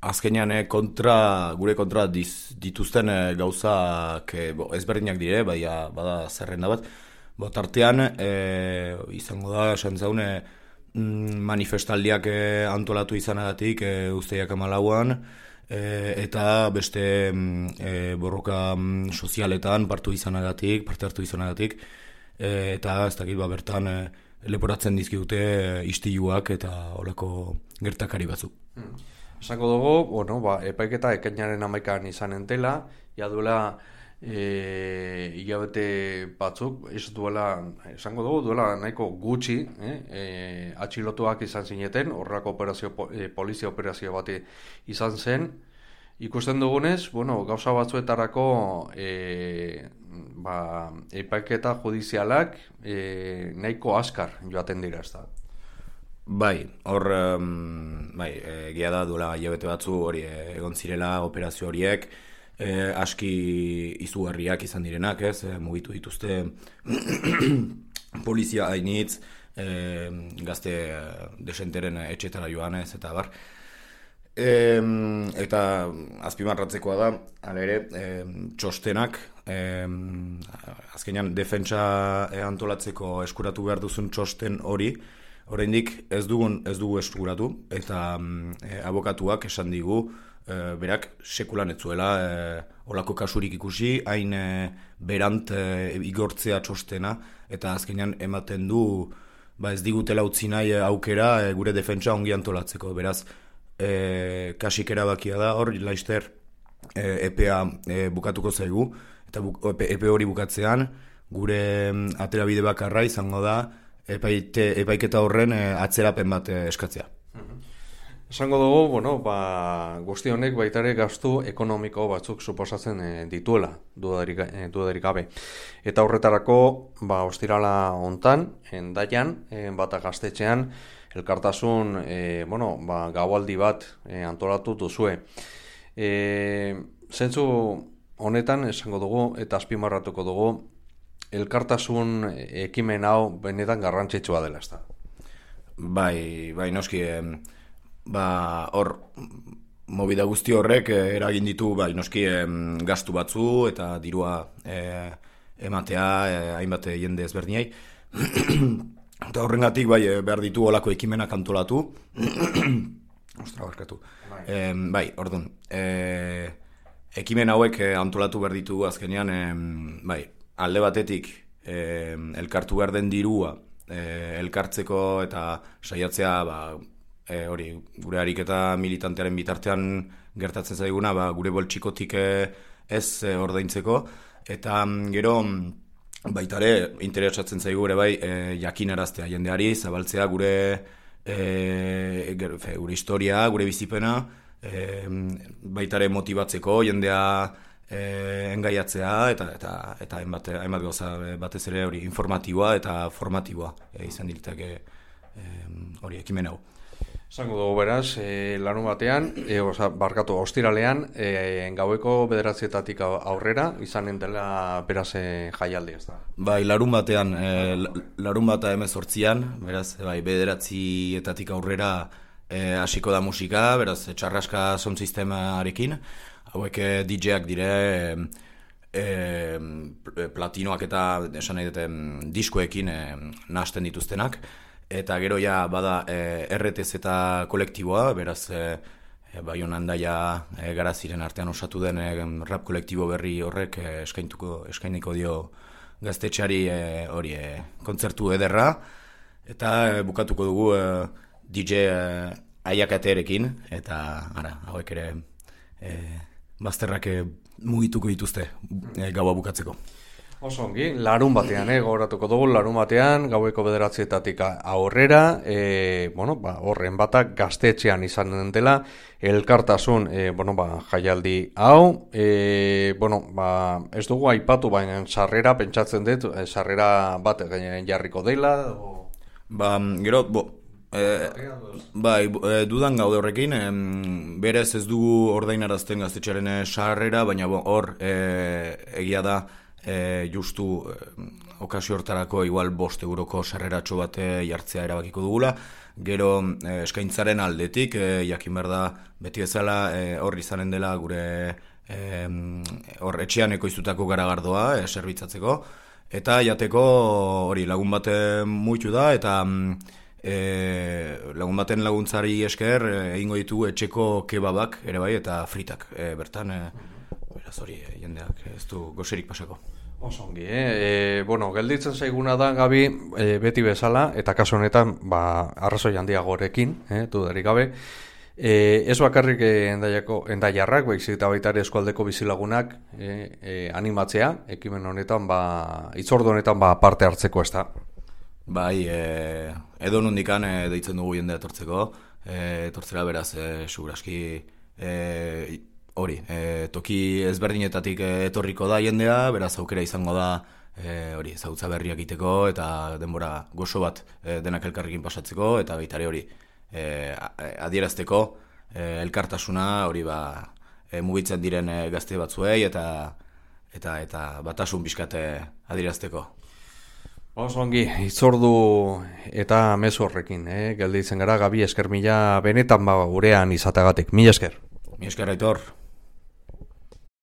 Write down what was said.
azkenean gure kontra dituzten gauzak ezberdinak dire, bada zerrenda bat. Tartean, izango da, esan zaune, manifestaldiak antolatu izanagatik uztaiak 14an, eta beste borroka sozialetan parte hartu izanagatik, eta ez dakit bertan leporatzen dizkidute istiluak eta olako gertakari batzuk. Esango dugu, epaiketa ekainaren 11an izanen dela, ja duela hilabete batzuk, esango dugu, duela nahiko gutxi, atxilotuak izan zineten, horrelako polizia operazio bat izan zen. Ikusten dugunez, gauza batzuetarako epaiketa judizialak nahiko azkar joaten dira, ez da. Bai, hor, egia da duela hilabete batzu hori egon zirela operazio horiek, aski izugarriak izan direnak, mugitu dituzte polizia hainitz, gazte desenteren etxetara joanez, eta bar. Eta azpimarratzekoa da, hala ere, txostenak, azkenean defentsa antolatzeko eskuratu behar duzun txosten hori, oraindik ez dugu eskuratu, eta abokatuak esan digu, berak sekulan etzuela olako kasurik ikusi, hain berant igortzea txostena, eta azkenean ematen du ez digutela utzi nahi aukera gure defentsa ongi antolatzeko, beraz, kasik erabakia da, hor, laizter EPEA bukatuko zaigu, eta EPE hori bukatzean, gure aterabide bakarra izango da, epaiketa horren atzerapen bat eskatzea. Esango dugu, guzti honek baitare gastu ekonomiko batzuk suposatzen dituela, dudarik gabe. Eta horretarako, ostirala hontan, Hendaian, bata Gaztetxean, elkartasun, gaualdi bat antolatu duzue. Zentzu honetan, esango dugu, eta azpimarratuko dugu, elkartasun ekimen hau benetan garrantzitsua dela, ezta. Bai, noski, hor, movida guzti horrek eragin ditu, noski, gastu batzu eta dirua ematea hainbat jende ezberdinei. Eta horrengatik behar ditu olako ekimenak antolatu. Ostra, barkatu. Ordun, ekimen hauek antolatu behar ditu azkenean, alde batetik elkartu behar den dirua elkartzeko eta saiatzea hori gure ariketa militantearen bitartean gertatzen zaiguna gure boltsikotik ez ordaintzeko, eta gero baitare interesatzen zaigu ere jakinaraztea jendeari, zabaltzea gure historia, gure bizipena, baitare motibatzeko jendea engaiatzea eta hainbat gauza batez ere hori informatiboa eta formatiboa izan ditzake hori ekimen hau. Zango dugu beraz, larun batean, ostiralean, gaueko 9:00 aurrera, izanen dela beraz jaialdi, ez da? Bai, larun batean, larun bata 18an, beraz, 9:00 aurrera hasiko da musika, beraz, txarraska sound sistemarekin, hauek DJ-ak dire, platinoak eta esan nahi duten diskoekin nahasten dituztenak, eta gero ja bada RTZ eta kolektiboa, beraz Baionan Daia Garaziren artean osatu den rap kolektibo berri horrek eskainiko dio gaztetxeari hori kontzertu ederra, eta bukatuko dugu DJ Aiakaterekin, eta hauek ere bazterrak mugituko dituzte gaua bukatzeko. Oso ongi, larun batean, gogoratuko dugu, larun batean, gaueko 9:00 aurrera, horren batak Gaztetxean izan dela, elkartasun, jaialdi hau, ez dugu aipatu, baina sarrera, pentsatzen dut, sarrera bat jarriko dela, gero, dudan gaude horrekin, berez ez dugu ordainarazten Gaztetxearen sarrera, baina hor egia da, justu okazio hortarako igual 5 euroko sarreratxo bat jartzea erabakiko dugula, Gero eskaintzaren aldetik, jakin behar da beti bezala hor izanen dela gure hor etxean ekoiztutako garagardoa zerbitzatzeko, eta jateko hori lagun baten muitu da, eta lagun baten laguntzari esker egingo ditugu etxeko kebabak ere bai, eta fritak bertan, beraz hori jendeak ez du goserik pasako. Osongi, bueno, gelditzen zaiguna da, Gabi, beti bezala, eta kasu honetan, arrazoi handiagorekin, dudarik gabe, ez bakarrik endaiarrak, baizik eta baita ere eskualdeko bizilagunak animatzea, ekimen honetan, hitzordu honetan parte hartzeko, ez da? Bai, edo nondikan deitzen dugu jendea etortzera beraz, seguraski hori, toki ezberdinetatik etorriko da jendea, beraz aukera izango da hori, ezagutza berriak egiteko eta denbora gozo bat denak elkarrekin pasatzeko, eta baita ere hori adierazteko elkartasuna hori mugitzen diren gazte batzuei eta batasun pixkat adierazteko. Osongi, hitzordu eta mezu horrekin, gelditzen gara, Gabi, esker mila benetan gurean izatagatik. Mila esker. Mila esker, Aitor.